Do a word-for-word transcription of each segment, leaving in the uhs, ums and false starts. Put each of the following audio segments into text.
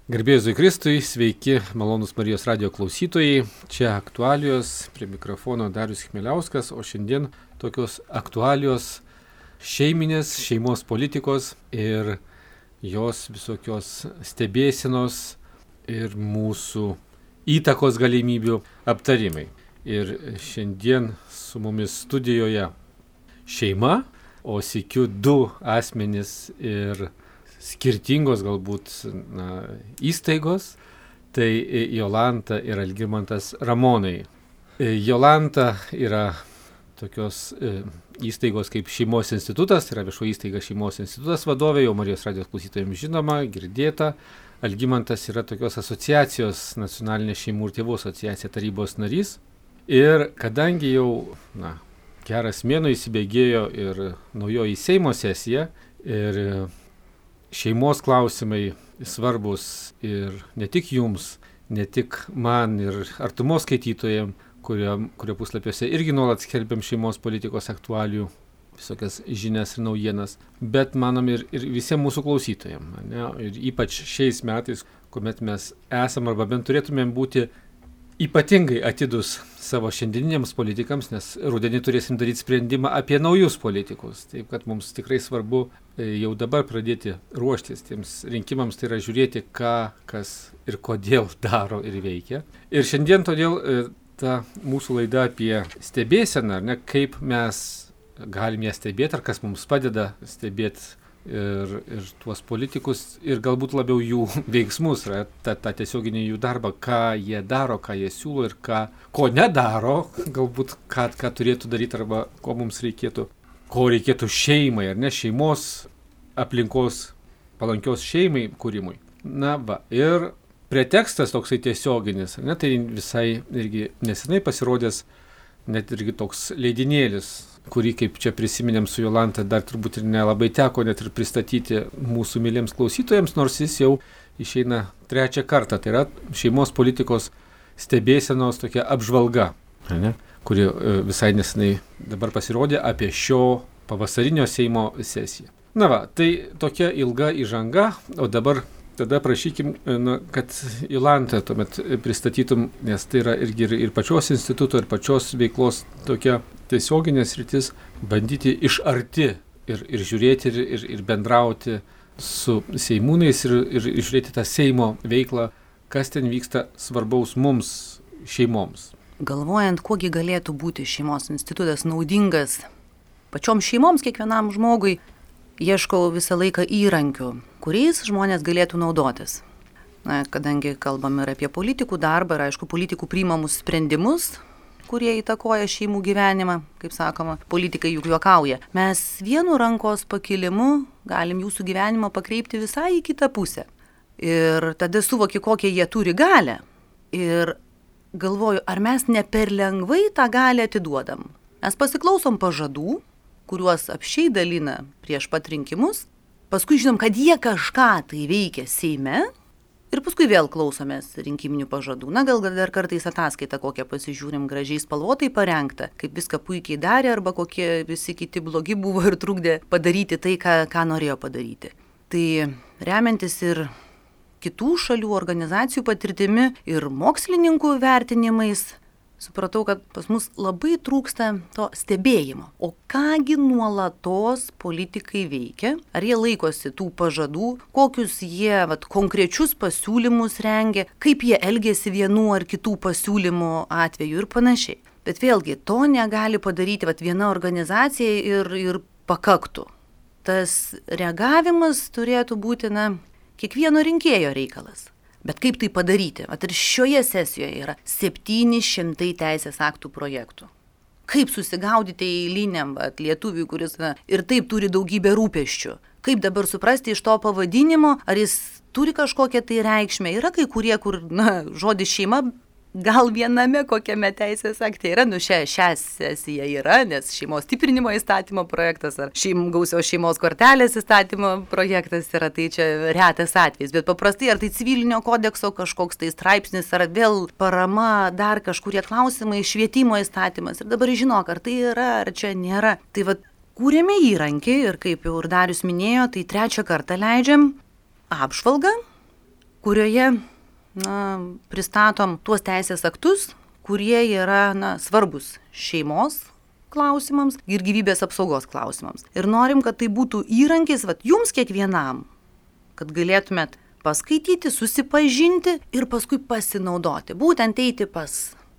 Garbėjus Jėzui Kristui, sveiki, malonus Marijos radijo klausytojai. Čia aktualijos, prie mikrofono Darius Chmieliauskas, o šiandien tokios aktualijos šeiminės, šeimos politikos ir jos visokios stebėsenos ir mūsų įtakos galimybių aptarimai. Ir šiandien su mumis studijoje šeima, o sykiu du asmenys ir skirtingos galbūt na, įstaigos, tai Jolanta ir Algimantas Ramonai. Jolanta yra tokios e, įstaigos kaip Šeimos institutas, tai yra viešo įstaiga Šeimos institutas vadovė, jau Marijos radijos klausytojams žinoma, girdėta. Algimantas yra tokios asociacijos, nacionalinė šeimų ir tėvų asociacija tarybos narys. Ir kadangi jau na, geras mėnuo įsibėgėjo ir naujoji Seimo sesija ir šeimos klausimai svarbus ir ne tik jums, ne tik man ir artumos skaitytojams, kurio, kurio puslapiuose irgi nuolat skelbiam šeimos politikos aktualijų, visokias žinias ir naujienas, bet manom ir, ir visiems mūsų klausytojams. Ne? Ir ypač šiais metais, kuomet mes esam arba bent turėtumėm būti ypatingai atidus savo šiandieniniams politikams, nes rudenį turėsim daryti sprendimą apie naujus politikus. Taip kad mums tikrai svarbu jau dabar pradėti ruoštis tiems rinkimams, tai yra žiūrėti, ką, kas ir kodėl daro ir veikia. Ir šiandien todėl ta mūsų laida apie stebėseną, ar ne, kaip mes galim ją stebėti, ar kas mums padeda stebėti ir, ir tuos politikus ir galbūt labiau jų veiksmus, tą, tą tiesioginį jų darbą, ką jie daro, ką jie siūlo ir ką, ko nedaro, galbūt ką, ką turėtų daryti arba ko mums reikėtų, ko reikėtų šeimai, ar ne, šeimos aplinkos palankios šeimai kūrimui. Na va, ir pretekstas toksai tiesioginis, ne, tai visai irgi nesenai pasirodęs net irgi toks leidinėlis, kurį, kaip čia prisiminėm su Jolanta, dar turbūt ir nelabai teko net ir pristatyti mūsų myliems klausytojams, nors jis jau išeina trečią kartą. Tai yra šeimos politikos stebėsenos tokia apžvalga, ne, kuri visai nesenai dabar pasirodė apie šio pavasarinio Seimo sesiją. Na va, tai tokia ilga įžanga, o dabar tada prašykim, na, kad Jolanta tuomet pristatytum, nes tai yra irgi ir, ir pačios instituto, ir pačios veiklos tokia tiesioginės rytis, bandyti iš arti ir, ir žiūrėti ir, ir, ir bendrauti su seimūnais ir, ir žiūrėti tą Seimo veiklą, kas ten vyksta svarbaus mums, šeimoms. Galvojant, kuogi galėtų būti šeimos institutas naudingas pačioms šeimoms, kiekvienam žmogui, ieškau visą laiką įrankių, kuriais žmonės galėtų naudotis. Na, kadangi kalbam ir apie politikų darbą ir aišku politikų priimamus sprendimus, kurie įtakoja šeimų gyvenimą, kaip sakoma, politikai juk juokauja. Mes vienu rankos pakilimu galim jūsų gyvenimą pakreipti visai į kitą pusę. Ir tada suvoki, kokią jie turi galią. Ir galvoju, ar mes ne per lengvai tą galią atiduodam. Mes pasiklausom pažadų, kuriuos apsčiai dalina prieš pat rinkimus, paskui žinom, kad jie kažką tai veikia Seime, ir paskui vėl klausomės rinkiminių pažadų. Na, gal dar kartais ataskaitą kokią pasižiūrim gražiai spalvotai parengtą, kaip viską puikiai darė arba kokie visi kiti blogi buvo ir trukdė padaryti tai, ką, ką norėjo padaryti. Tai remiantis ir kitų šalių organizacijų patirtimi ir mokslininkų vertinimais, supratau, kad pas mus labai trūksta to stebėjimo. O kągi nuolatos politikai veikia? Ar jie laikosi tų pažadų? Kokius jie vat, konkrečius pasiūlymus rengia? Kaip jie elgėsi vienų ar kitų pasiūlymų atveju ir panašiai? Bet vėlgi, to negali padaryti vat, viena organizacija ir, ir pakaktų. Tas reagavimas turėtų būti na, kiekvieno rinkėjo reikalas. Bet kaip tai padaryti? At ir šioje sesijoje yra septyni šimtai teisės aktų projektų. Kaip susigaudyti eiliniam vat, lietuviui, kuris na, ir taip turi daugybę rūpesčių? Kaip dabar suprasti iš to pavadinimo, ar jis turi kažkokią tai reikšmę? Yra kai kurie, kur na, žodis šeima gal viename kokiame teisės akte yra, nu šią, šią sesiją yra, nes šeimos stiprinimo įstatymo projektas ar šeim, gausios šeimos kortelės įstatymo projektas yra, tai čia retas atvejis, bet paprastai ar tai civilinio kodekso kažkoks tai straipsnis, ar vėl parama, dar kažkurie klausimai, švietimo įstatymas ir dabar žinok, ar tai yra, ar čia nėra. Tai vat kūrėme įrankį ir kaip jau ir Darius minėjo, tai trečią kartą leidžiam apžvalgą kurioje na, pristatom tuos teisės aktus, kurie yra na, svarbus šeimos klausimams ir gyvybės apsaugos klausimams. Ir norim, kad tai būtų įrankis vat, jums kiekvienam, kad galėtumėt paskaityti, susipažinti ir paskui pasinaudoti. Būtent eiti pas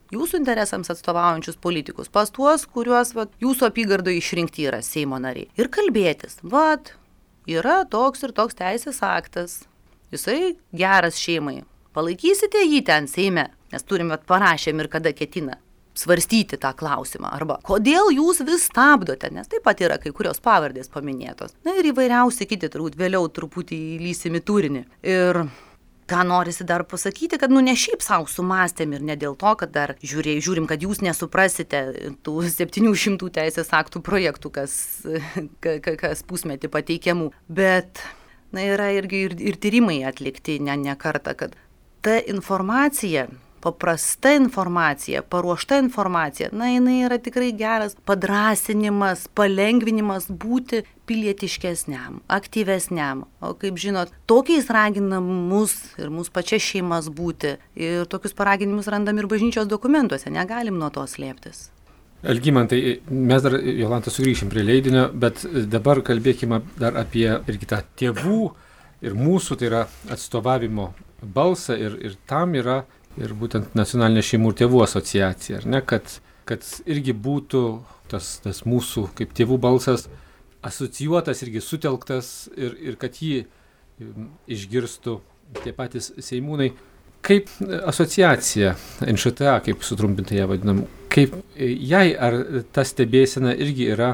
jūsų interesams atstovaujančius politikus, pas tuos, kuriuos vat, jūsų apygardoje išrinkti yra Seimo nariai. Ir kalbėtis, vat, yra toks ir toks teisės aktas, jisai geras šeimai. Palaikysite jį ten Seime, nes turim vat, parašėm ir kada ketina svarstyti tą klausimą. Arba kodėl jūs vis stabdote, nes taip pat yra kai kurios pavardės paminėtos. Na ir įvairiausi kiti, turbūt vėliau truputį įlysim į turinį. Ir ką norisi dar pasakyti, kad nu ne šiaip savo sumastėm ir ne dėl to, kad dar žiūrė, žiūrim, kad jūs nesuprasite tų septynių šimtų teisės aktų projektų, kas, kas pusmetį pateikiamų. Bet na, yra irgi ir, ir tyrimai atlikti ne, ne kartą, kad ta informacija, paprasta informacija, paruošta informacija, na, jinai yra tikrai geras padrąsinimas, palengvinimas būti pilietiškesniam, aktyvesniam. O kaip žinot, tokiais raginam mus ir mūsų pačias šeimas būti. Ir tokius paraginimus randam ir bažnyčios dokumentuose, negalim nuo to slėptis. Algimantai, mes dar, Jolanta, sugrįšim prie leidinio, bet dabar kalbėkime dar apie irgi tą tėvų ir mūsų, tai yra atstovavimo balsą ir, ir tam yra ir būtent Nacionalinė šeimų ir tėvų asociacija, ar ne, kad, kad irgi būtų tas, tas mūsų kaip tėvų balsas asocijuotas, irgi sutelktas ir, ir kad jį išgirstų tie patys seimūnai. Kaip asociacija, N Š T A, kaip sutrumpintai ją vadinam, kaip jai ar ta stebėsena irgi yra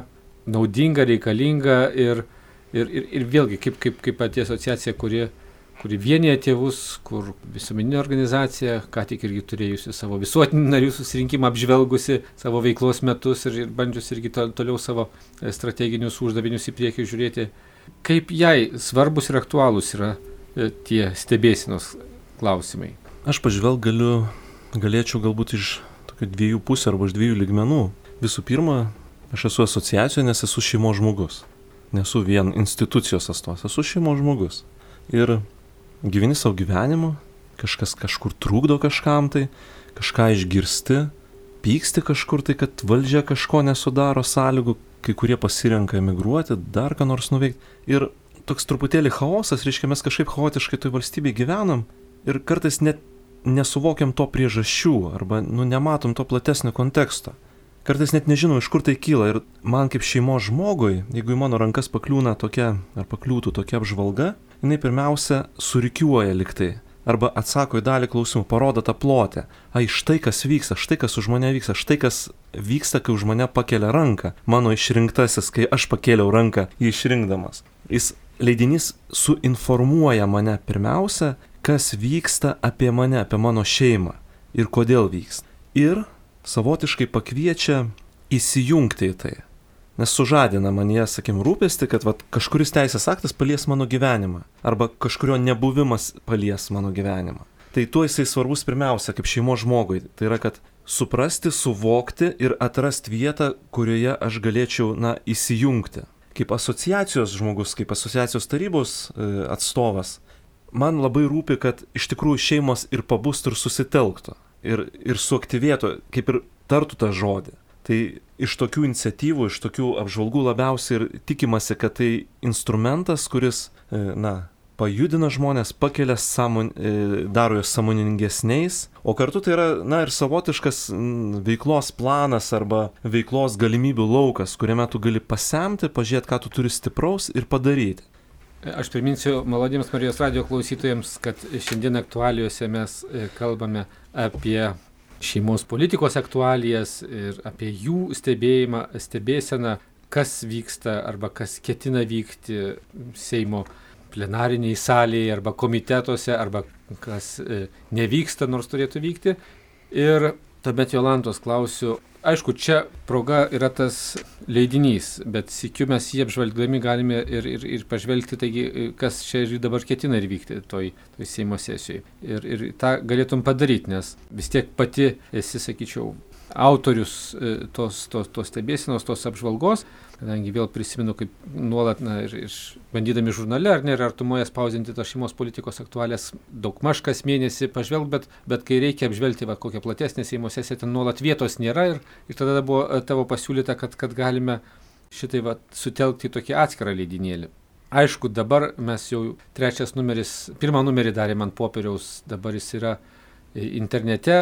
naudinga, reikalinga ir, ir, ir, ir vėlgi kaip, kaip, kaip pati asociacija, kuri kuri vienyje tėvus, kur visuomeninė organizacija, ką tik irgi turėjusi savo visuotinį narių susirinkimą, apžvelgusi savo veiklos metus ir, ir bandžius irgi to, toliau savo strateginius uždavinius į priekį žiūrėti. Kaip jai svarbus ir aktualūs yra tie stebėsenos klausimai? Aš pažvelg galiu, galėčiau galbūt iš tokių dviejų pusių arba iš dviejų lygmenų. Visų pirma, aš esu asociacijoje, nes esu šeimos žmogus. Nesu vien institucijos atstovas, esu šeimos žmogus. Ir gyveni savo gyvenimu, kažkas kažkur trukdo kažkam tai, kažką išgirsti, pyksti kažkur tai, kad valdžia kažko nesudaro sąlygų, kai kurie pasirenka emigruoti, dar ką nors nuveikti. Ir toks truputėlį chaosas, reiškia, mes kažkaip chaotiškai toj valstybėje gyvenam ir kartais net nesuvokiam to priežasčių arba nu, nematom to platesnio konteksto. Kartais net nežinom, iš kur tai kyla ir man kaip šeimos žmogui, jeigu į mano rankas pakliūna tokia ar pakliūtų tokia apžvalga, jinai pirmiausia surikiuoja liktai arba atsako į dalį klausimų, parodo tą plotę. Ai, štai kas vyksta, štai kas už mane vyksta, štai kas vyksta, kai už mane pakelia ranką. Mano išrinktasis, kai aš pakėliau ranką jį išrinkdamas. Jis leidinys suinformuoja mane pirmiausia, kas vyksta apie mane, apie mano šeimą ir kodėl vyksta. Ir savotiškai pakviečia įsijungti į tai. Nes sužadina manyje, sakim, rūpestį, kad vat, kažkuris teisės aktas palies mano gyvenimą arba kažkurio nebuvimas palies mano gyvenimą. Tai tuo jisai svarbus pirmiausia kaip šeimos žmogui. Tai yra, kad suprasti, suvokti ir atrasti vietą, kurioje aš galėčiau, na, įsijungti. Kaip asociacijos žmogus, kaip asociacijos tarybos e, atstovas, man labai rūpi, kad iš tikrųjų šeimos ir pabustų ir susitelktų ir, ir suaktyvėtų, kaip ir tartų tą žodį. Tai iš tokių iniciatyvų, iš tokių apžvalgų labiausiai ir tikimasi, kad tai instrumentas, kuris, na, pajudina žmonės, pakelia, sąmon, daro juos sąmoningesniais, o kartu tai yra, na, ir savotiškas veiklos planas arba veiklos galimybių laukas, kuriame tu gali pasemti, pažiūrėti, ką tu turi stipraus ir padaryti. Aš priminsiu maloniems Marijos radijo klausytojams, kad šiandien aktualijose mes kalbame apie šeimos politikos aktualijas ir apie jų stebėjimą, stebėseną, kas vyksta arba kas ketina vykti Seimo plenariniai salėje arba komitetuose arba kas nevyksta, nors turėtų vykti. Ir tuomet Jolantos klausiu, aišku, čia proga yra tas leidinys, bet sykiu mes jį apžvelgdami galime ir, ir, ir pažvelgti, taigi, kas čia ir dabar ketina ir vykti toj, toj Seimo sesijoje. Ir, ir tą galėtum padaryti, nes vis tiek pati esi, sakyčiau, autorius tos, tos, tos stebėsenos, tos apžvalgos, kadangi vėl prisimenu, kaip nuolat, na, ir, ir bandydami žurnale, ar ne, ir artumoje spausdinti tos šeimos politikos aktualės daug maž kas mėnesį pažvelg, bet, bet kai reikia apžvelgti va, kokią platesnę Seimo sesiją, ten nuolat vietos nėra ir, ir tada buvo tavo pasiūlyta, kad, kad galime šitai va, sutelkti į tokį atskirą leidinėlį. Aišku, dabar mes jau trečias numeris, pirmą numerį darėm ant popieriaus, dabar jis yra internete,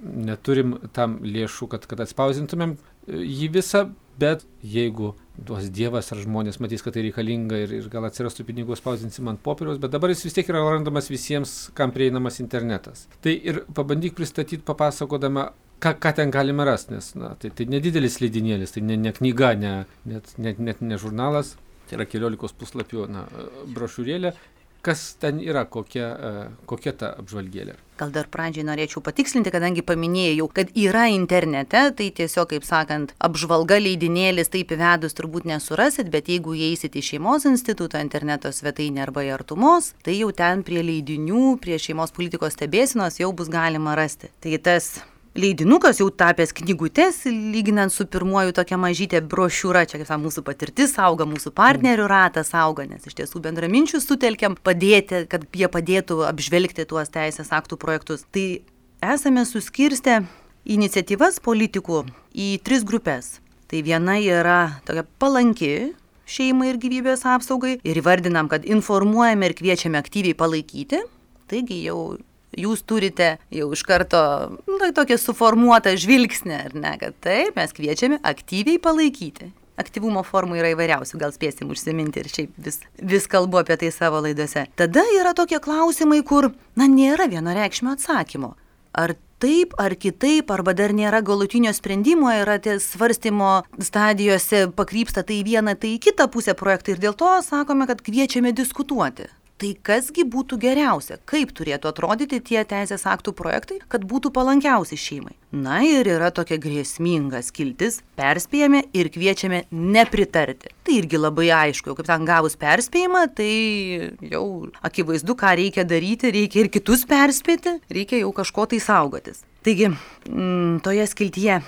neturim tam lėšų, kad, kad atspausintumėm jį visą, bet jeigu duos Dievas ar žmonės matys, kad tai reikalinga ir, ir gal atsirastų pinigų, spausdinsim ant popieriaus, bet dabar jis vis tiek yra randamas visiems, kam prieinamas internetas. Tai ir pabandyk pristatyti, papasakodama, ką, ką ten galime rasti, nes na, tai, tai nedidelis leidinėlis, tai ne, ne knyga, ne, net, net, net ne žurnalas, tai yra keliolikos puslapių na, brošiūrėlė. Kas ten yra, kokia, kokia ta apžvalgėlė? Gal dar pradžiai norėčiau patikslinti, kadangi paminėjau, kad yra internete, tai tiesiog, kaip sakant, apžvalga leidinėlis taip įvedus turbūt nesurasit, bet jeigu įeisit į Šeimos instituto interneto svetainę arba į Artumos, tai jau ten prie leidinių, prie šeimos politikos stebėsenos jau bus galima rasti. Tai tas leidinukas jau tapęs knygutės, lyginant su pirmuoju tokia mažytė brošiūra, čia kaip sa, mūsų patirtis auga, mūsų partnerių ratas auga, nes iš tiesų bendraminčių sutelkiam padėti, kad jie padėtų apžvelgti tuos teisės aktų projektus. Tai esame suskirstę iniciatyvas politikų į tris grupės. Tai viena yra tokia palanki šeimai ir gyvybės apsaugai ir įvardinam, kad informuojame ir kviečiame aktyviai palaikyti. Taigi jau jūs turite jau iš karto nu, tokią suformuotą žvilgsnį, ar ne, kad taip, mes kviečiame aktyviai palaikyti. Aktyvumo formų yra įvairiausių, gal spėsim užsiminti ir šiaip vis, vis kalbu apie tai savo laidose. Tada yra tokie klausimai, kur, na, nėra vienareikšmio atsakymo. Ar taip, ar kitaip, arba dar nėra galutinio sprendimo, yra tie svarstymo stadijose pakrypsta tai į vieną, tai į kitą pusę projektą ir dėl to sakome, kad kviečiame diskutuoti. Tai kasgi būtų geriausia, kaip turėtų atrodyti tie teisės aktų projektai, kad būtų palankiausi šeimai. Na ir yra tokia grėsminga skiltis, perspėjame ir kviečiame nepritarti. Tai irgi labai aišku, jau kaip ten gavus perspėjimą, tai jau akivaizdu, ką reikia daryti, reikia ir kitus perspėti, reikia jau kažko tai saugotis. Taigi, mm, toje skiltyje,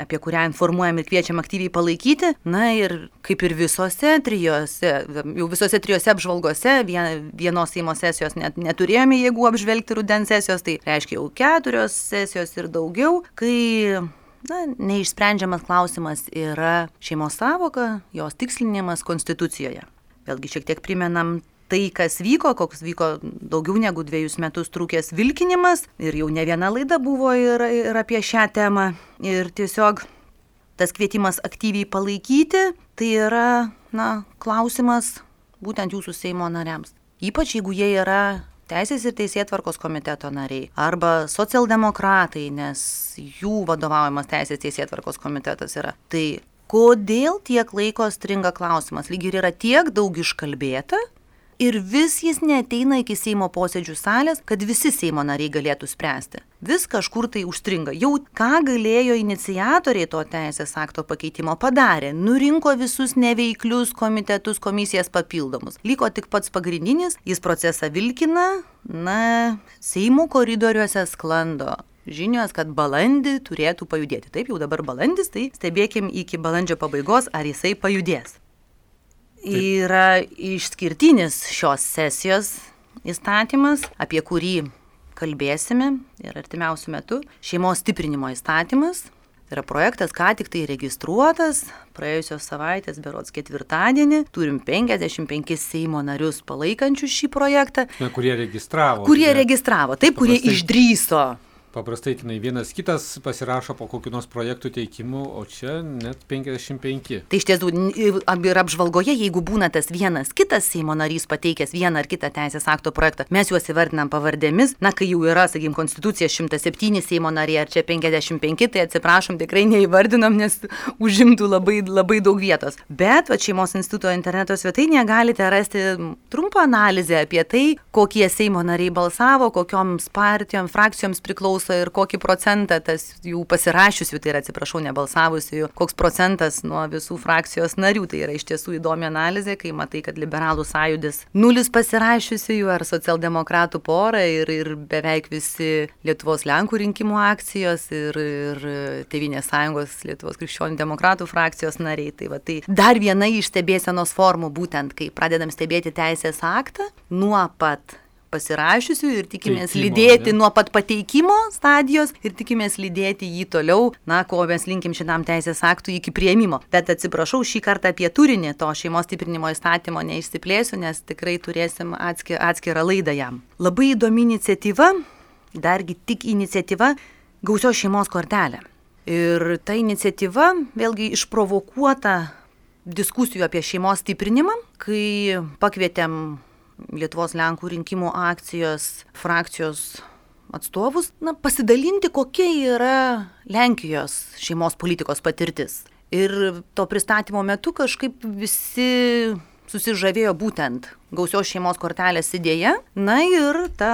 apie kurią informuojam ir kviečiam aktyviai palaikyti. Na ir kaip ir visose trijose, jau visose trijose apžvalgose, vienos Seimo sesijos net neturėjome jėgų apžvelgti rudens sesijos, tai reiškia jau keturios sesijos ir daugiau, kai na, neišsprendžiamas klausimas yra šeimos sąvoka, jos tikslinimas Konstitucijoje. Vėlgi šiek tiek primenam tai, kas vyko, koks vyko daugiau negu dviejus metus trūkęs vilkinimas ir jau ne viena laida buvo ir, ir apie šią temą. Ir tiesiog tas kvietimas aktyviai palaikyti, tai yra na, klausimas būtent jūsų Seimo nariams. Ypač jeigu jie yra Teisės ir teisėtvarkos komiteto nariai arba socialdemokratai, nes jų vadovaujamas Teisės teisėtvarkos komitetas yra. Tai kodėl tiek laiko stringa klausimas? Lyg ir yra tiek daug iškalbėta, ir vis jis neateina iki Seimo posėdžių salės, kad visi Seimo nariai galėtų spręsti. Vis kažkur tai užstringa. Jau ką galėjo iniciatoriai to teisės akto pakeitimo padarė. Nurinko visus neveiklius komitetus, komisijas papildomus. Liko tik pats pagrindinis, jis procesą vilkina, na, Seimo koridoriuose sklando žinios, kad balandį turėtų pajudėti. Taip, jau dabar balandis, tai stebėkim iki balandžio pabaigos, ar jisai pajudės. Taip. Yra išskirtinis šios sesijos įstatymas, apie kurį kalbėsime ir artimiausių metų. Šeimos stiprinimo įstatymas. Tai yra projektas, ką tik tai registruotas, praėjusios savaitės berods ketvirtadienį. Turim penkiasdešimt penkis Seimo narius palaikančius šį projektą. Na, kurie registravo. Kurie registravo, taip, kurie išdrįso. Paprastai tenai vienas kitas pasirašo po kokių nors projektų teikimų, o čia net penkiasdešimt penki. Tai iš tiesų ir apžvalgoje, jeigu būna tas vienas kitas Seimo narys pateikęs vieną ar kitą teisės akto projektą, mes juos įvardinam pavardėmis, na kai jau yra, sakykim, Konstitucija šimtas septyni Seimo nariai ar čia penkiasdešimt penki, tai atsiprašom, tikrai neįvardinam, nes užimtų labai, labai daug vietos. Bet va, Šeimos instituto interneto svetainėje galite rasti trumpą analizę apie tai, kokie Seimo nariai balsavo, kokioms partijoms, frakcijoms priklauso priklauso ir kokį procentą tas jų pasirašiusių, tai yra, atsiprašau, nebalsavusių, koks procentas nuo visų frakcijos narių. Tai yra iš tiesų įdomi analizė, kai matai, kad liberalų sąjūdis nulis pasirašiusių ar socialdemokratų pora ir, ir beveik visi Lietuvos Lenkų rinkimų akcijos ir, ir Tėvynės sąjungos Lietuvos krikščionių demokratų frakcijos nariai. Tai, va, tai dar viena iš stebėsenos formų, būtent kai pradedam stebėti teisės aktą nuo pat pasirašiusių ir tikimės Teikimo, lydėti ne? nuo pat pateikimo stadijos ir tikimės lydėti jį toliau, na, ko mes linkim šitam teisės aktui iki priėmimo. Bet atsiprašau, šį kartą apie turinį to šeimos stiprinimo įstatymo neišsiplėsiu, nes tikrai turėsim atskir, atskirą laidą jam. Labai įdomi iniciatyva, dargi tik iniciatyva, gausios šeimos kortelė. Ir ta iniciatyva vėlgi išprovokuota diskusijų apie šeimos stiprinimą, kai pakvietėm Lietuvos Lenkų rinkimų akcijos frakcijos atstovus, na, pasidalinti, kokia yra Lenkijos šeimos politikos patirtis. Ir to pristatymo metu kažkaip visi susižavėjo būtent gausios šeimos kortelės idėja, na ir ta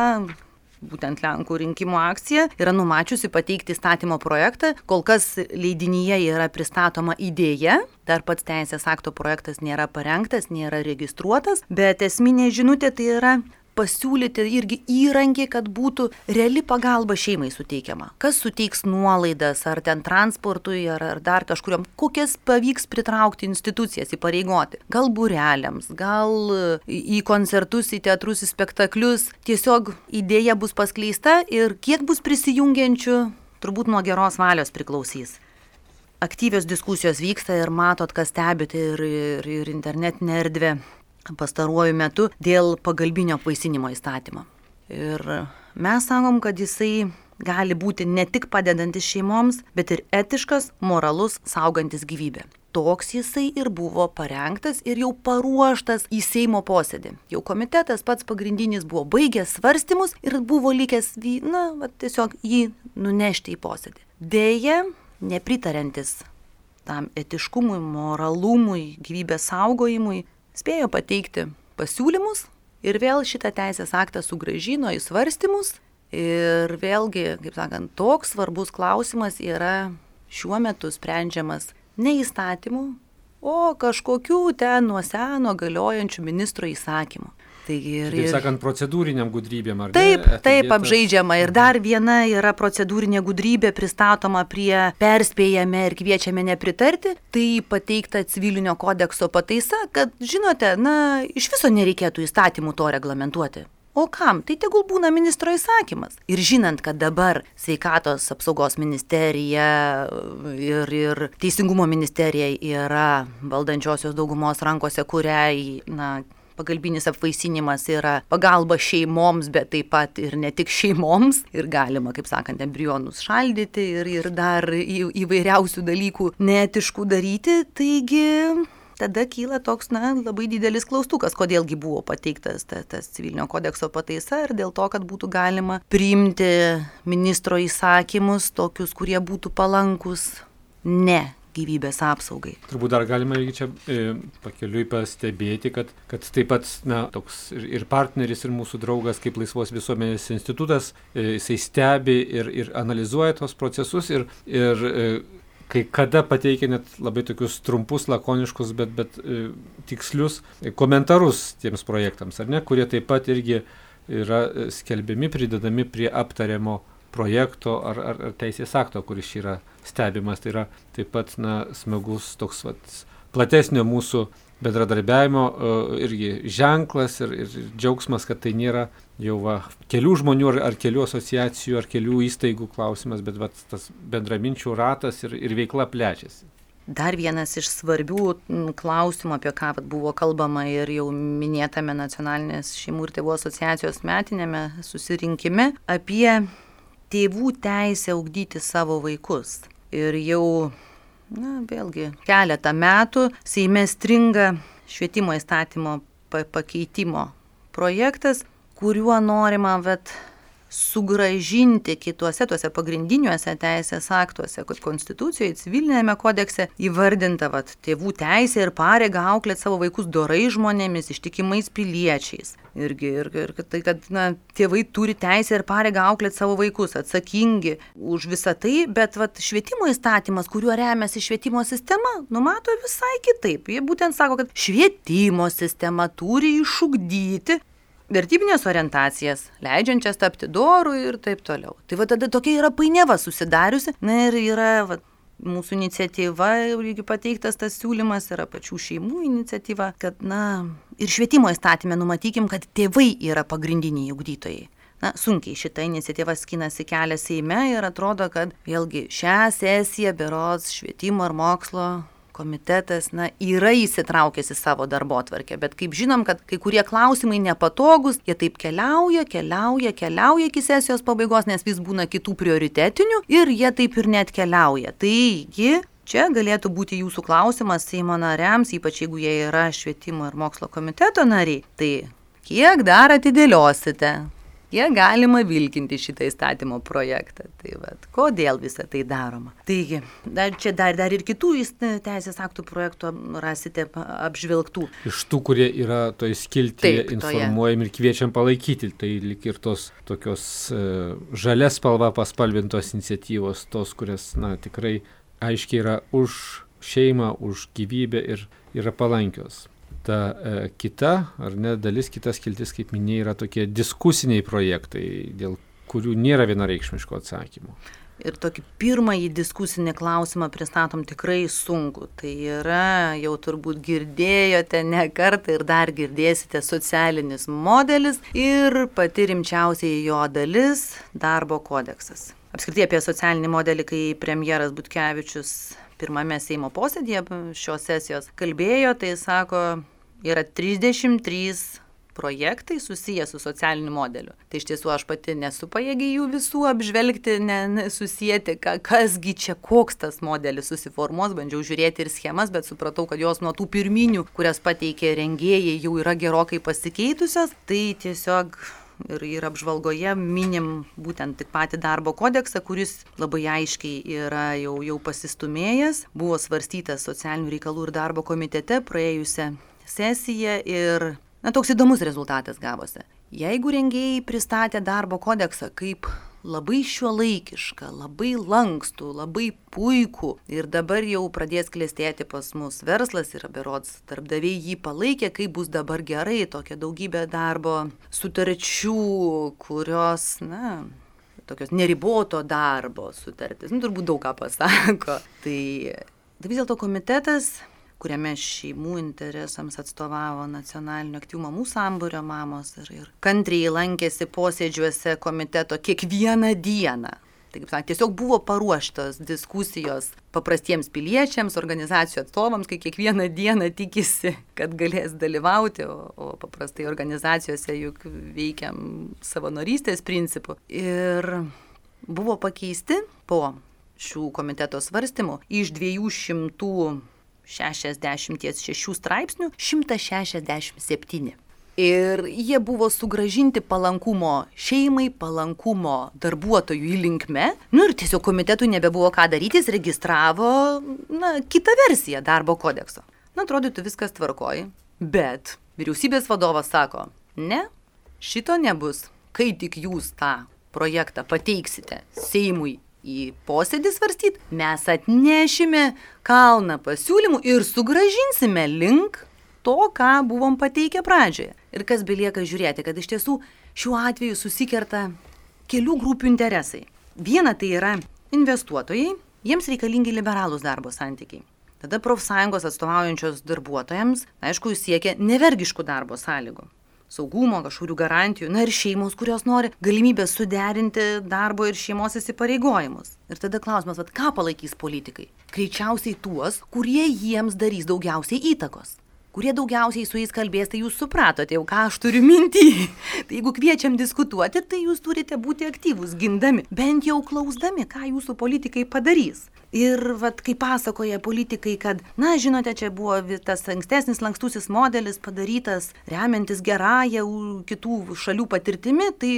būtent Lenkų rinkimų akcija yra numačiusi pateikti įstatymo projektą. Kol kas leidinyje yra pristatoma idėja, dar pats teisės akto projektas nėra parengtas, nėra registruotas, bet esminė žinutė tai yra pasiūlyti irgi įrankį, kad būtų reali pagalba šeimai suteikiama. Kas suteiks nuolaidas, ar ten transportui, ar, ar dar kažkuriam, kokias pavyks pritraukti institucijas, įpareigoti. Gal būreliams, gal į koncertus, į teatrus, į spektaklius. Tiesiog idėja bus paskleista ir kiek bus prisijungiančių, turbūt nuo geros valios priklausys. Aktyvios diskusijos vyksta ir matot, kas stebite ir, ir, ir internetinė erdvė pastaruoju metu dėl pagalbinio apvaisinimo įstatymo. Ir mes sakom, kad jisai gali būti ne tik padedantis šeimoms, bet ir etiškas, moralus, saugantis gyvybę. Toks jisai ir buvo parengtas ir jau paruoštas į Seimo posėdį. Jau komitetas pats pagrindinis buvo baigęs svarstymus ir buvo likęs, na, va, tiesiog jį nunešti į posėdį. Deja, nepritariantis tam etiškumui, moralumui, gyvybės saugojimui, spėjo pateikti pasiūlymus ir vėl šitą teisės aktą sugrąžino į svarstymus. Ir vėlgi, kaip sakant, toks svarbus klausimas yra šiuo metu sprendžiamas ne įstatymų, o kažkokių ten nuo seno galiojančių ministro įsakymų. Taigi ir, taip sakant, procedūriniam gudrybėm, ar taip, ne? Taip, apžaidžiama. Ir dar viena yra procedūrinė gudrybė pristatoma prie perspėjame ir kviečiame nepritarti. Tai pateikta civilinio kodekso pataisa, kad, žinote, na, iš viso nereikėtų įstatymų to reglamentuoti. O kam? Tai tegul būna ministro įsakymas. Ir žinant, kad dabar sveikatos apsaugos ministerija ir, ir teisingumo ministerija yra valdančiosios daugumos rankose, kuriai, na, pagalbinis apvaisinimas yra pagalba šeimoms, bet taip pat ir ne tik šeimoms. Ir galima, kaip sakant, embrionus šaldyti ir, ir dar į, įvairiausių dalykų neetiškų daryti. Taigi tada kyla toks, na, labai didelis klaustukas, kodėlgi buvo pateiktas tas, tas civilinio kodekso pataisa ir dėl to, kad būtų galima priimti ministro įsakymus, tokius, kurie būtų palankus ne gyvybės apsaugai. Turbūt dar galima irgi čia e, pakeliui pastebėti, kad, kad taip pat, na, toks ir, ir partneris, ir mūsų draugas kaip Laisvos visuomenės institutas, e, jisai stebi ir, ir analizuoja tos procesus ir, ir e, kai kada pateikia net labai tokius trumpus, lakoniškus, bet, bet e, tikslius komentarus tiems projektams, ar ne, kurie taip pat irgi yra skelbiami, pridedami prie aptariamo projekto ar, ar, ar teisės akto, kuris yra stebimas. Tai yra taip pat, na, smagus toks vat, platesnio mūsų bendradarbiavimo uh, irgi ženklas ir, ir džiaugsmas, kad tai nėra jau va, kelių žmonių ar, ar kelių asociacijų ar kelių įstaigų klausimas, bet vat, tas bendraminčių ratas ir, ir veikla plečiasi. Dar vienas iš svarbių klausimų, apie ką buvo kalbama ir jau minėtame Nacionalinės šeimų ir tėvų asociacijos metinėme susirinkime, apie tėvų teisę ugdyti savo vaikus. Ir jau, na, vėlgi, keletą metų Seime stringa švietimo įstatymo pakeitimo projektas, kuriuo norima vet, sugražinti kituose tuose pagrindiniuose teisės aktuose, kad konstitucijoje, civilinėme kodekse įvardinta vat, tėvų teisė ir pareiga auklėti savo vaikus dorai žmonėmis, ištikimais piliečiais. Irgi, ir, ir tai, kad na, tėvai turi teisę ir pareigą auklėti savo vaikus, atsakingi už visą tai, bet vat, švietimo įstatymas, kuriuo remiasi švietimo sistema, numato visai kitaip. Jie būtent sako, kad švietimo sistema turi išugdyti vertybinės orientacijas, leidžiančias tapti doru ir taip toliau. Tai va tada tokia yra painiava susidariusi. Na ir yra va, mūsų iniciatyva, irgi pateiktas tas siūlymas, yra pačių šeimų iniciatyva, kad na ir švietimo įstatyme numatykim, kad tėvai yra pagrindiniai ugdytojai. Na, sunkiai šita iniciatyva skinasi kelią Seime ir atrodo, kad vėlgi šią sesiją berods švietimo ir mokslo komitetas na, yra įsitraukęs į savo darbotvarkę, bet kaip žinom, kad kai kurie klausimai nepatogus, jie taip keliauja, keliauja, keliauja iki sesijos pabaigos, nes vis būna kitų prioritetinių ir jie taip ir net keliauja. Taigi, čia galėtų būti jūsų klausimas Seimo nariams, ypač jeigu jie yra švietimo ir mokslo komiteto nariai, tai kiek dar atidėliosite? Kiek galima vilkinti šitą įstatymo projektą. Tai vat, kodėl visą tai daroma. Taigi, dar, čia dar, dar ir kitų teisės aktų projektų rasite apžvelgtų. Iš tų, kurie yra toj skiltyje informuojami ir kviečiam palaikyti, tai lik ir tos tokios uh, žalias spalva paspalvintos iniciatyvos, tos, kurias na, tikrai aiškiai yra už šeimą, už gyvybę ir yra palankios. Ta e, kita, ar ne, dalis, kitas skiltis, kaip minėjai, yra tokie diskusiniai projektai, dėl kurių nėra vienareikšmiško atsakymo. Ir tokį pirmąjį diskusinį klausimą pristatom tikrai sunku. Tai yra, jau turbūt girdėjote ne kartą ir dar girdėsite, socialinis modelis ir pati rimčiausiai jo dalis – darbo kodeksas. Apskritai apie socialinį modelį, kai premjeras Butkevičius pirmame Seimo posėdėje šios sesijos kalbėjo, tai sako, yra trisdešimt trys projektai susiję su socialiniu modeliu. Tai iš tiesų aš pati nesu pajėgi jų visų apžvelgti, ne, ne, susijęti, ka, kasgi čia koks tas modelis susiformuos, bandžiau žiūrėti ir schemas, bet supratau, kad jos nuo tų pirminių, kurias pateikė rengėjai, jau yra gerokai pasikeitusios. Tai tiesiog ir, ir apžvalgoje minim būtent tik patį darbo kodeksą, kuris labai aiškiai yra jau, jau pasistumėjęs, buvo svarstytas socialinių reikalų ir darbo komitete praėjusią sesiją ir na, toks įdomus rezultatas gavosi. Jeigu rengėjai pristatė darbo kodeksą kaip labai šiuolaikišką, labai lankstų, labai puikų ir dabar jau pradės klestėti pas mus verslas ir berods darbdaviai jį palaikė, kaip bus dabar gerai, tokia daugybė darbo sutarčių, kurios, na, tokios neriboto darbo sutartis, nu, turbūt daug ką pasako. Tai, tai vis dėlto komitetas, kuriame šeimų interesams atstovavo nacionalinio aktyvumo mamų sambūrio mamos ir, ir kantriai lankėsi posėdžiuose komiteto kiekvieną dieną. Tai, kaip sakant, tiesiog buvo paruoštos diskusijos paprastiems piliečiams, organizacijų atstovams, kai kiekvieną dieną tikisi, kad galės dalyvauti, o, o paprastai organizacijose juk veikiam savanorystės principu. Ir buvo pakeisti po šių komiteto svarstymų iš dviejų šimtų šešiasdešimt šešių straipsnių šimtas šešiasdešimt septyni. Ir jie buvo sugražinti palankumo šeimai, palankumo darbuotojų linkme. Nu ir tiesiog komitetui nebebuvo ką daryti, jis registravo na, kitą versiją darbo kodekso. Na, atrodytų viskas tvarkoji, bet vyriausybės vadovas sako, ne, šito nebus. Kai tik jūs tą projektą pateiksite Seimui į posėdį svarstyti, mes atnešime kalną pasiūlymų ir sugražinsime link to, ką buvom pateikę pradžioje. Ir kas belieka žiūrėti, kad iš tiesų šiuo atveju susikerta kelių grupių interesai. Viena tai yra investuotojai, jiems reikalingi liberalūs darbo santykiai. Tada profsąjungos atstovaujančios darbuotojams, aišku, siekia nevergiškų darbo sąlygų. Saugumo, kažkurių garantijų, na ir šeimos, kurios nori galimybės suderinti darbo ir šeimos įsipareigojimus. Ir tada klausimas, vat, ką palaikys politikai? Greičiausiai tuos, kurie jiems darys daugiausiai įtakos. Kurie daugiausiai su jais kalbės, tai jūs supratote jau, ką aš turiu minty. Tai jeigu kviečiam diskutuoti, tai jūs turite būti aktyvūs, gindami, bent jau klausdami, ką jūsų politikai padarys. Ir vat, kai pasakoja politikai, kad, na, žinote, čia buvo tas ankstesnis lankstusis modelis padarytas remiantis gerąją kitų šalių patirtimi, tai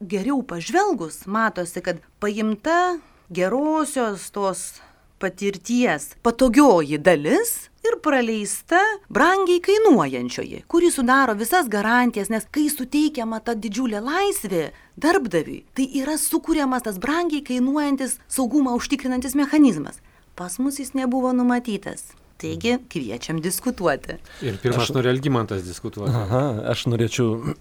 geriau pažvelgus matosi, kad paimta gerosios tos patirties patogioji dalis ir praleista brangiai kainuojančioji, kuri sudaro visas garantijas, nes kai suteikiama ta didžiulė laisvė darbdaviui, tai yra sukūriamas tas brangiai kainuojantis saugumą užtikrinantis mechanizmas. Pas mus jis nebuvo numatytas. Taigi, kviečiam diskutuoti. Ir pirmas aš... nori Algimantas diskutuoti. Aha, aš norėčiau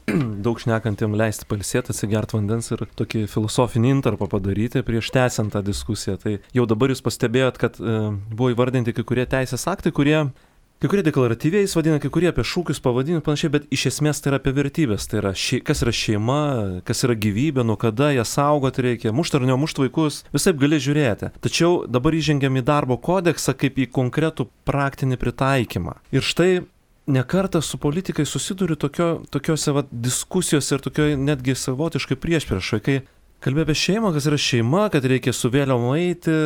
daug šnekantiem leisti pailsėti, atsigert vandens ir tokį filosofinį intarpą padaryti prieš tęsiant tą diskusiją. Tai jau dabar jūs pastebėjot, kad e, buvo įvardinti kai kurie teisės aktai, kurie, kai kurie deklaratyviai jis vadina, kai kurie apie šūkius pavadinimus panašiai, bet iš esmės tai yra apie vertybės. Tai yra, šei, kas yra šeima, kas yra gyvybė, nuo kada ją saugoti reikia, mušt ar nemušt vaikus, visaip gali žiūrėti. Tačiau dabar įžengiam į darbo kodeksą kaip į konkretų praktinį pritaikymą. Ir štai nekartą su politikai susiduriu tokio, tokiose vat, diskusijose ir tokio netgi savotiškai priešpriešai, kai kalbė apie šeimą, kas yra šeima, kad reikia su vėliavom eiti.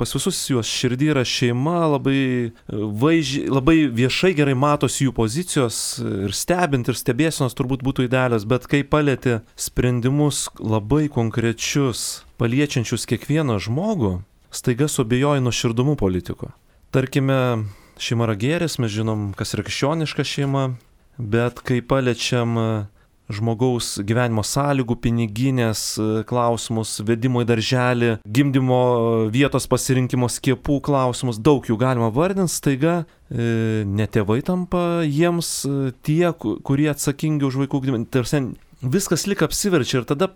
Pas visus juos širdį yra šeima, labai, vaizdžiai, labai viešai gerai matosi jų pozicijos ir stebint ir stebėsenos turbūt būtų idealios, bet kai palieti sprendimus labai konkrečius, paliečiančius kiekvieną žmogų, staiga suabejoji nuoširdumu politiko. Tarkime, šeima yra gėris, mes žinom, kas yra krikščioniška šeima, bet kai paliečiam žmogaus gyvenimo sąlygų, piniginės klausimus, vedimo į darželį, gimdymo vietos pasirinkimo, skiepų klausimus, daug jų galima vardinti, staiga e, ne tėvai tampa jiems tie, kurie atsakingi už vaikų gimdymą. Tarsi viskas lyg apsiverčia ir tada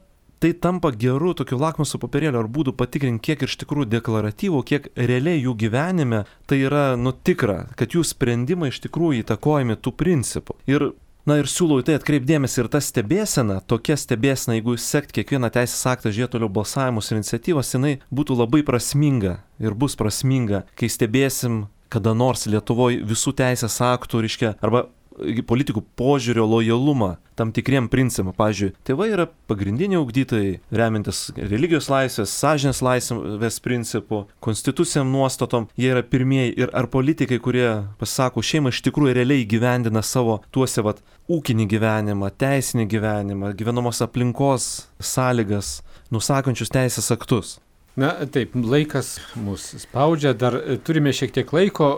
tai tampa geru tokiu lakmuso popierėliu ar būdu patikrinti, kiek iš tikrųjų deklaratyvų, kiek realiai jų gyvenime tai yra nu tikra, kad jų sprendimai iš tikrųjų įtakojami tų principų. Ir Na ir siūlau į tai atkreipdėmėsi ir ta stebėsena, tokia stebėsena, jeigu sekt kiekvieną teisės aktą, žiūrėti toliau balsavimus ir iniciatyvas, jinai būtų labai prasminga ir bus prasminga, kai stebėsim kada nors Lietuvoje visų teisės aktų, reiškia, arba politikų požiūrio lojalumą tam tikriem principam. Pavyzdžiui, tėvai yra pagrindiniai ugdytojai, remintis religijos laisvės, sąžinės laisvės principų, konstitucijam nuostatom, jie yra pirmieji. Ir ar politikai, kurie pasako šeimą, iš tikrųjų realiai gyvendina savo tuose vat ūkinį gyvenimą, teisinį gyvenimą, gyvenamos aplinkos sąlygas, nusakančius teisės aktus. Na taip, laikas mus spaudžia, dar turime šiek tiek laiko.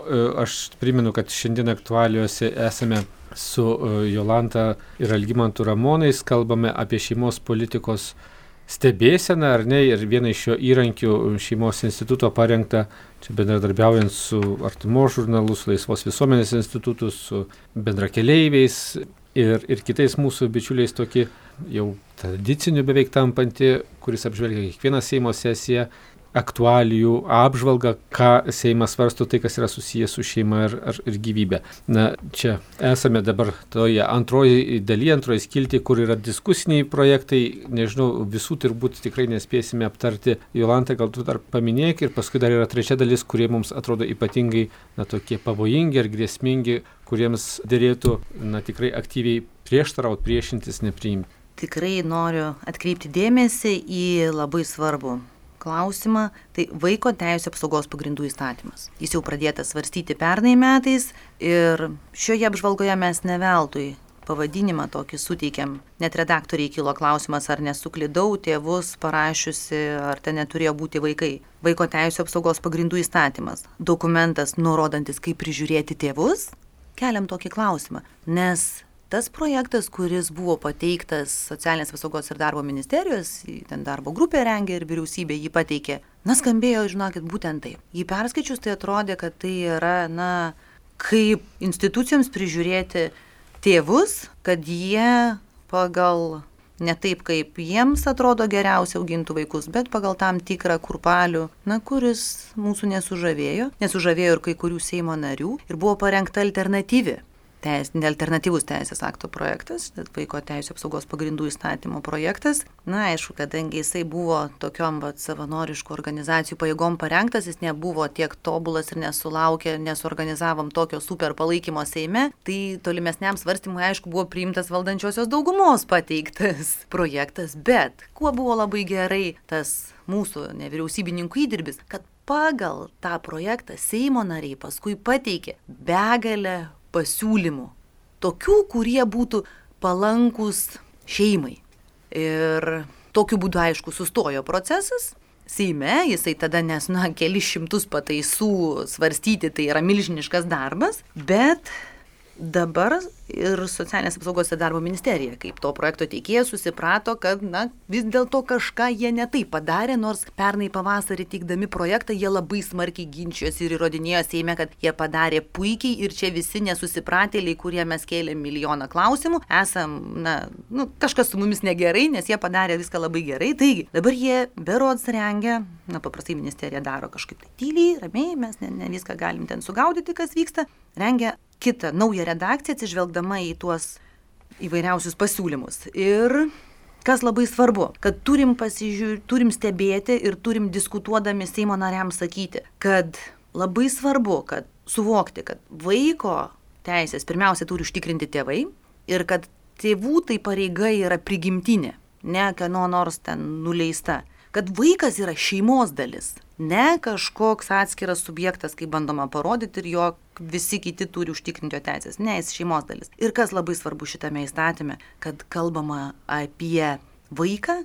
Aš primenu, kad šiandien aktualiuose esame su Jolanta ir Algimantu Ramonais, kalbame apie šeimos politikos stebėseną, ar ne, ir vieną iš šio įrankių šeimos instituto parengta, čia bendradarbiaujant su Artumos žurnalu, su Laisvos visuomenės institutu, su bendrakeleiviais ir, ir kitais mūsų bičiuliais tokį jau tradiciniu beveik tampantį, kuris apžvelgia kiekvieną Seimo sesiją, aktualijų apžvalgą, ką Seimas svarsto, tai kas yra susijęs su šeima ir, ir, ir gyvybė. Na, čia esame dabar toje antroji dalyje, antroji skilti, kur yra diskusiniai projektai, nežinau, visų turbūt tikrai nespėsime aptarti. Jolanta, gal tu dar paminėk, ir paskui dar yra trečia dalis, kurie mums atrodo ypatingai, na, tokie pavojingi ir grėsmingi, kuriems dėrėtų, na, tikrai aktyviai prieštarauti, priešintis, nepriimti. Tikrai noriu atkreipti dėmesį į labai svarbų klausimą, tai Vaiko teisių apsaugos pagrindų įstatymas. Jis jau pradėtas svarstyti pernai metais ir šioje apžvalgoje mes ne veltui pavadinimą tokį suteikėm. Net redaktoriai kilo klausimas, ar nesuklydau tėvus parašiusi, ar ten neturėjo būti vaikai. Vaiko teisių apsaugos pagrindų įstatymas. Dokumentas nurodantis, kaip prižiūrėti tėvus. Keliam tokį klausimą, nes tas projektas, kuris buvo pateiktas Socialinės apsaugos ir darbo ministerijos, ten darbo grupė rengė ir vyriausybė jį pateikė, na, skambėjo, žinokit, būtent taip. Jį perskaičius, tai atrodė, kad tai yra, na, kaip institucijoms prižiūrėti tėvus, kad jie pagal, ne taip, kaip jiems atrodo geriausia augintų vaikus, bet pagal tam tikrą kurpalių, na, kuris mūsų nesužavėjo, nesužavėjo ir kai kurių Seimo narių, ir buvo parengta alternatyvi. Teis, alternatyvus teisės akto projektas, Vaiko teisių apsaugos pagrindų įstatymo projektas. Na, aišku, kadangi jisai buvo tokiom vat, savanoriškų organizacijų pajėgom parengtas, jis nebuvo tiek tobulas ir nesulaukė, nesuorganizavom tokio super palaikymo Seime, tai tolimesniam svarstymui, aišku, buvo priimtas valdančiosios daugumos pateiktas projektas. Bet kuo buvo labai gerai tas mūsų nevyriausybininkų įdirbis, kad pagal tą projektą Seimo nariai paskui pateikė begalę pasiūlymų, tokių, kurie būtų palankus šeimai. Ir tokiu būdu, aišku, sustojo procesas. Seime jisai tada, nes, na, kelis šimtus pataisų svarstyti, tai yra milžiniškas darbas, bet dabar ir Socialinės apsaugos ir darbo ministerija, kaip to projekto teikėjas, susiprato, kad, na, vis dėlto kažką jie ne taip padarė, nors pernai pavasarį teikdami projektą, jie labai smarkiai ginčijosi ir įrodinėjo Seime, kad jie padarė puikiai ir čia visi nesusipratėliai, kurie mes kėlėm milijoną klausimų, esam, na, nu, kažkas su mumis negerai, nes jie padarė viską labai gerai. Taigi, dabar jie berods rengia, na, paprastai ministerija daro kažkaip tai tyliai, ramiai, mes ne, ne viską galim ten sugaudyti, kas vyksta, rengia kitą naują redakciją, atsižvelgdama į tuos įvairiausius pasiūlymus. Ir kas labai svarbu, kad turim pasižiūrėti, turim stebėti ir turim diskutuodami Seimo nariams sakyti, kad labai svarbu, kad suvokti, kad vaiko teisės pirmiausia turi užtikrinti tėvai ir kad tėvų tai pareiga yra prigimtinė, ne kieno nors ten nuleista. Kad vaikas yra šeimos dalis, ne kažkoks atskiras subjektas, kaip bandoma parodyti ir jo visi kiti turi užtikrinti jo teisės. Ne, jis šeimos dalis. Ir kas labai svarbu šitame įstatyme, kad kalbama apie vaiką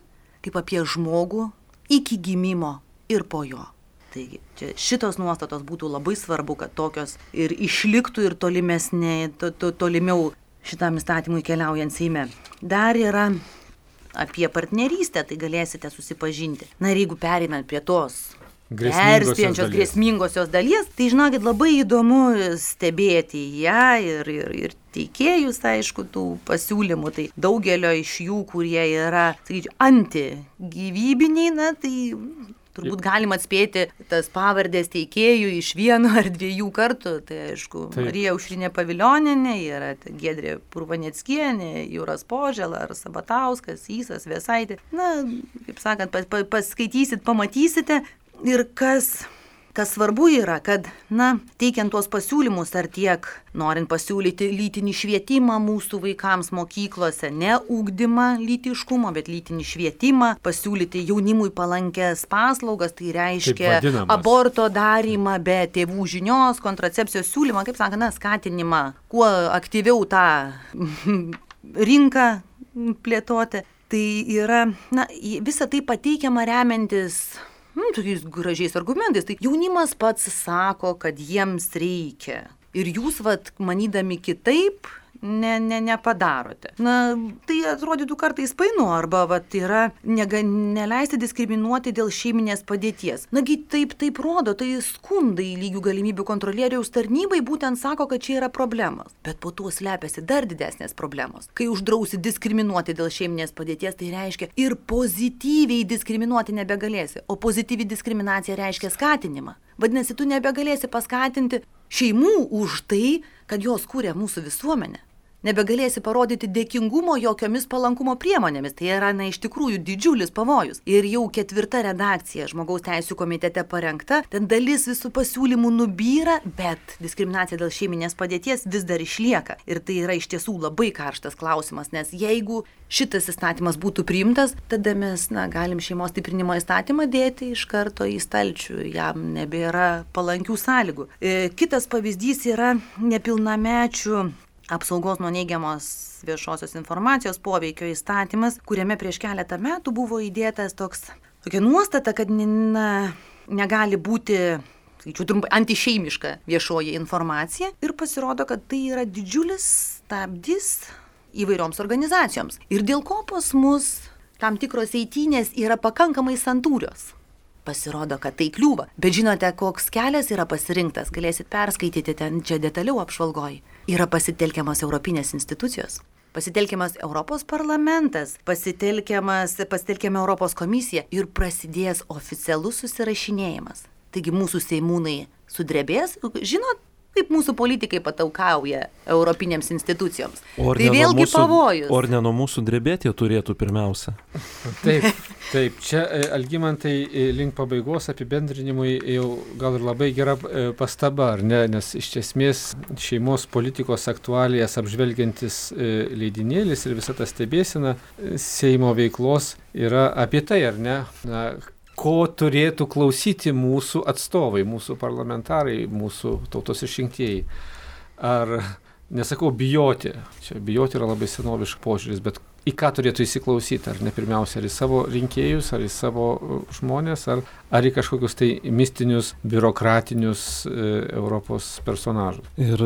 kaip apie žmogų iki gimimo ir po jo. Taigi, čia šitos nuostatos būtų labai svarbu, kad tokios ir išliktų ir tolimesnė, to, to, tolimiau šitam įstatymui keliaujant Seime. Dar yra apie partnerystę, tai galėsite susipažinti. Na ir jeigu pereinant prie tos perspėjančios grėsmingosios dalies, tai žinokit, labai įdomu stebėti ją ir, ir, ir teikėjus, aišku, tų pasiūlymų. Tai daugelio iš jų, kurie yra, sakyčiau, antigyvybiniai, na tai turbūt galima atspėti tas pavardės teikėjų iš vieno ar dviejų kartų. Tai aišku, Taip. Marija Aušrinė Pavilionienė, yra Giedrė Purvaneckienė, Jūras Požela ar Sabatauskas, Ysas Vėsaitė. Na, kaip sakant, pas, pas, paskaitysit, pamatysite. Ir kas, kas svarbu yra, kad, na, teikiant tuos pasiūlymus, ar tiek norint pasiūlyti lytinį švietimą mūsų vaikams mokyklose, ne ugdymą lytiškumo, bet lytinį švietimą, pasiūlyti jaunimui palankės paslaugas, tai reiškia aborto darymą be tėvų žinios, kontracepcijos siūlymą, kaip sakant, na, skatinimą, kuo aktyviau tą rinką plėtoti. Tai yra, na, visa tai pateikiama remiantis Nu, tokiais gražiais argumentais. Tai jaunimas pats sako, kad jiems reikia. Ir jūs, vat, manydami kitaip, ne, ne, nepadarote. Na, tai atrodytų kartais painu, arba vat, yra nega, neleisti diskriminuoti dėl šeiminės padėties. Nagi taip, taip rodo, tai skundai lygių galimybių kontrolieriaus tarnybai būtent sako, kad čia yra problemos. Bet po tuo slepiasi dar didesnės problemos. Kai uždrausi diskriminuoti dėl šeiminės padėties, tai reiškia ir pozityviai diskriminuoti nebegalėsi. O pozityvi diskriminacija reiškia skatinimą. Vadinasi, tu nebegalėsi paskatinti šeimų už tai, kad jos kūrė mūsų visuomenę. Nebegalėsi parodyti dėkingumo jokiomis palankumo priemonėmis. Tai yra, na, iš tikrųjų didžiulis pavojus. Ir jau ketvirta redakcija Žmogaus teisių komitete parengta, ten dalis visų pasiūlymų nubyra, bet diskriminacija dėl šeiminės padėties vis dar išlieka. Ir tai yra iš tiesų labai karštas klausimas, nes jeigu šitas įstatymas būtų priimtas, tada mes, na, galim šeimos stiprinimo įstatymą dėti iš karto į stalčių, jam nebėra palankių sąlygų. E, kitas pavyzdys yra nepilnamečių apsaugos nuo neigiamos viešosios informacijos poveikio įstatymas, kuriame prieš keletą metų buvo įdėtas toks, tokia nuostata, kad na, negali būti, skaičiu trumpai, antišeimiška viešoji informacija. Ir pasirodo, kad tai yra didžiulis stabdis įvairioms organizacijoms. Ir dėl ko pas mus tam tikros eitynės yra pakankamai santūrios. Pasirodo, kad tai kliūva. Bet žinote, koks kelias yra pasirinktas, galėsit perskaityti ten čia detaliau apžvalgoj. Yra pasitelkiamas Europinės institucijos, pasitelkiamas Europos parlamentas, pasitelkiamas, pasitelkiama Europos komisija ir prasidės oficialus susirašinėjimas. Taigi mūsų seimūnai sudrebės, žinot, kaip mūsų politikai pataukauja Europinėms institucijoms. Tai vėlgi mūsų, pavojus. O ar ne nuo mūsų drebėti jie turėtų pirmiausia? Taip, taip. Čia, Algimantai, link pabaigos apibendrinimui jau gal ir labai gera pastaba, ar ne? Nes iš esmės šeimos politikos aktualijas apžvelgiantis leidinėlis ir visa ta stebėsena Seimo veiklos yra apie tai, ar ne? Na, ko turėtų klausyti mūsų atstovai, mūsų parlamentarai, mūsų tautos išrinktieji. Ar, nesakau, bijoti, čia bijoti yra labai senoviškas požiūris, bet į ką turėtų įsiklausyti, ar ne pirmiausia, ar į savo rinkėjus, ar į savo žmonės, ar, ar į kažkokius tai mistinius, biurokratinius e, Europos personažus. Ir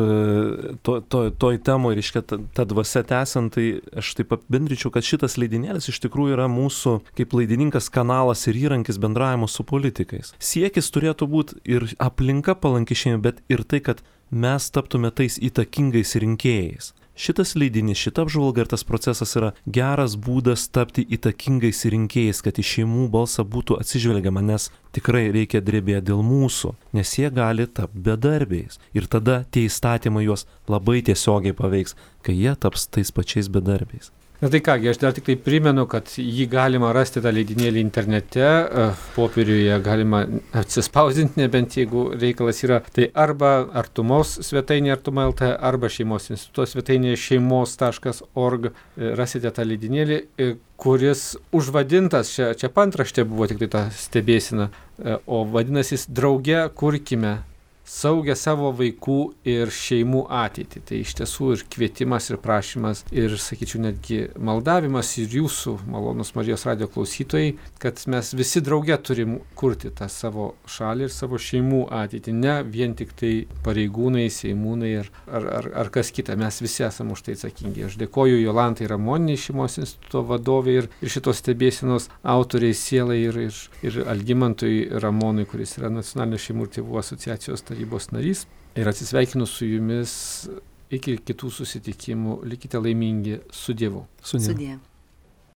to, to, toj temoje, reiškia, ta, ta dvasia tęsiant, tai aš taip apibendryčiau, kad šitas leidinėlis iš tikrųjų yra mūsų kaip laidininkas kanalas ir įrankis bendravimo su politikais. Siekis turėtų būti ir aplinka palanki šeimai, bet ir tai, kad mes taptume tais įtakingais rinkėjais. Šitas leidinys, šita apžvalga ir tas procesas yra geras būdas tapti įtakingais rinkėjais, kad į šeimų balsą būtų atsižvelgiama, nes tikrai reikia drebėti dėl mūsų, nes jie gali tapti bedarbiais. Ir tada tie įstatymai juos labai tiesiogiai paveiks, kai jie taps tais pačiais bedarbiais. Na tai kągi, aš dar tik tai primenu, kad jį galima rasti tą leidinėlį internete, popieriuje galima atsispausdinti, nebent jeigu reikalas yra, tai arba Artumos svetainė Artuma L T, arba Šeimos instituto svetainė šeimos taškas org, rasite tą leidinėlį, kuris užvadintas, čia, čia pantraštė buvo tik tai ta stebėsina, o vadinasi Drauge kurkime saugę savo vaikų ir šeimų ateitį. Tai iš tiesų ir kvietimas, ir prašymas, ir, sakyčiau, netgi maldavimas ir jūsų, malonus Marijos radijo klausytojai, kad mes visi drauge turim kurti tą savo šalį ir savo šeimų ateitį, ne vien tik tai pareigūnai, seimūnai ar, ar, ar, ar kas kita. Mes visi esame už tai atsakingi. Aš dėkoju Jolantai Ramonienei, Šeimos instituto vadovai ir, ir šitos stebėsenos autoriai sielai ir, ir, ir Algimantui Ramonui, kuris yra Nacionalinės šeimų ir tėvų asociacijos tarybos narys, ir atsisveikinu su jumis iki kitų susitikimų. Likite laimingi su Dievu. Su Dievu. Sudie.